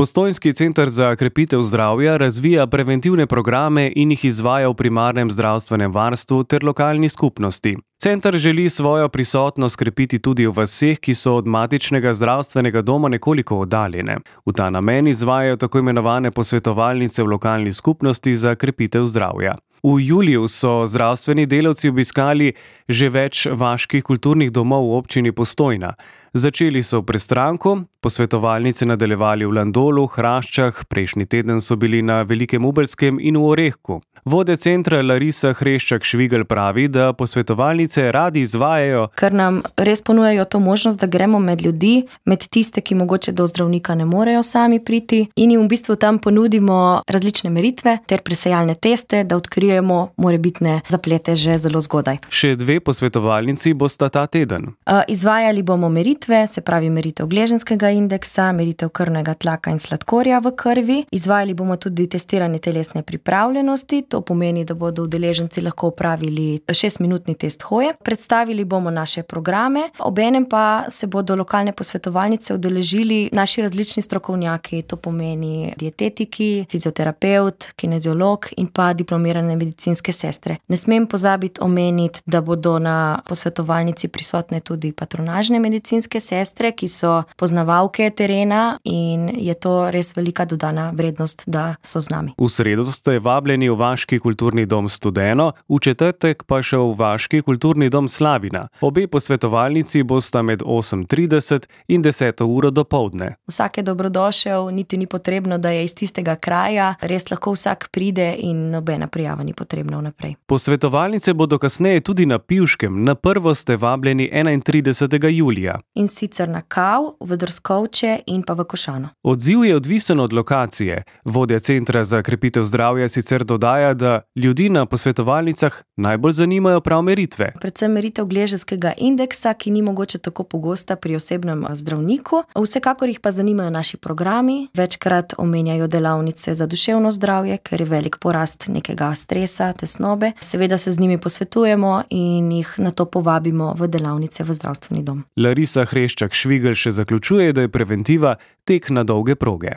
Postojnski center za krepitev zdravja razvija preventivne programe in jih izvaja v primarnem zdravstvenem varstvu ter lokalni skupnosti. Center želi svojo prisotnost krepiti tudi v vaseh, ki so od matičnega zdravstvenega doma nekoliko oddaljene. V ta namen izvajajo tako imenovane posvetovalnice v lokalni skupnosti za krepitev zdravja. V juliju so zdravstveni delavci obiskali že več vaških kulturnih domov v občini Postojna. Začeli so v Prestranku, posvetovalnice nadaljevali v Landolu, Hraščah, prejšnji teden so bili na Velikem Ubelskem in v Orehku. Vodja centra Larisa Hreščak-Švigelj pravi, da posvetovalnice radi izvajajo, ker nam res ponujajo to možnost, da gremo med ljudi, med tiste, ki mogoče do zdravnika ne morejo sami priti, in jim v bistvu tam ponudimo različne meritve ter presejalne teste, da odkrijemo morebitne zaplete že zelo zgodaj. Še 2 posvetovalnici bosta ta teden. Izvajali bomo meritve, se pravi meritev gleženskega indeksa, meritev krvnega tlaka in sladkorja v krvi. Izvajali bomo tudi testiranje telesne pripravljenosti. To pomeni, da bodo udeleženci lahko opravili 6-minutni test hoje. Predstavili bomo naše programe, obenem pa se bodo lokalne posvetovalnice udeležili naši različni strokovnjaki, to pomeni dietetiki, fizioterapevt, kineziolog in pa diplomirane medicinske sestre. Ne smem pozabiti omeniti, da bodo na posvetovalnici prisotne tudi patronažne medicinske sestre, ki so poznavalke terena, in je to res velika dodana vrednost, da so z nami. V sredo ste vabljeni v Vaški kulturni dom Studeno, v četrtek pa še v Vaški kulturni dom Slavina. Obe posvetovalnici bosta med 8:30 in 10. uro dopoldne. Vsak je dobrodošel, niti ni potrebno, da je iz tistega kraja, res lahko vsak pride in nobena prijava ni potrebna vnaprej. Posvetovalnice bodo kasneje tudi na Pivškem, na prvo ste vabljeni 31. julija. In sicer na Kav, v Drskovče in pa v Košano. Odziv je odvisen od lokacije. Vodja centra za krepitev zdravja sicer dodaja, da ljudi na posvetovalnicah najbolj zanimajo prav meritve. Predvsem meritev gleženskega indeksa, ki ni mogoče tako pogosta pri osebnem zdravniku. Vsekakor jih pa zanimajo naši programi. Večkrat omenjajo delavnice za duševno zdravje, ker je velik porast nekega stresa, tesnobe. Seveda se z njimi posvetujemo in jih nato povabimo v delavnice v zdravstveni dom. Larisa Hreščak-Švigelj še zaključuje, da je preventiva tek na dolge proge.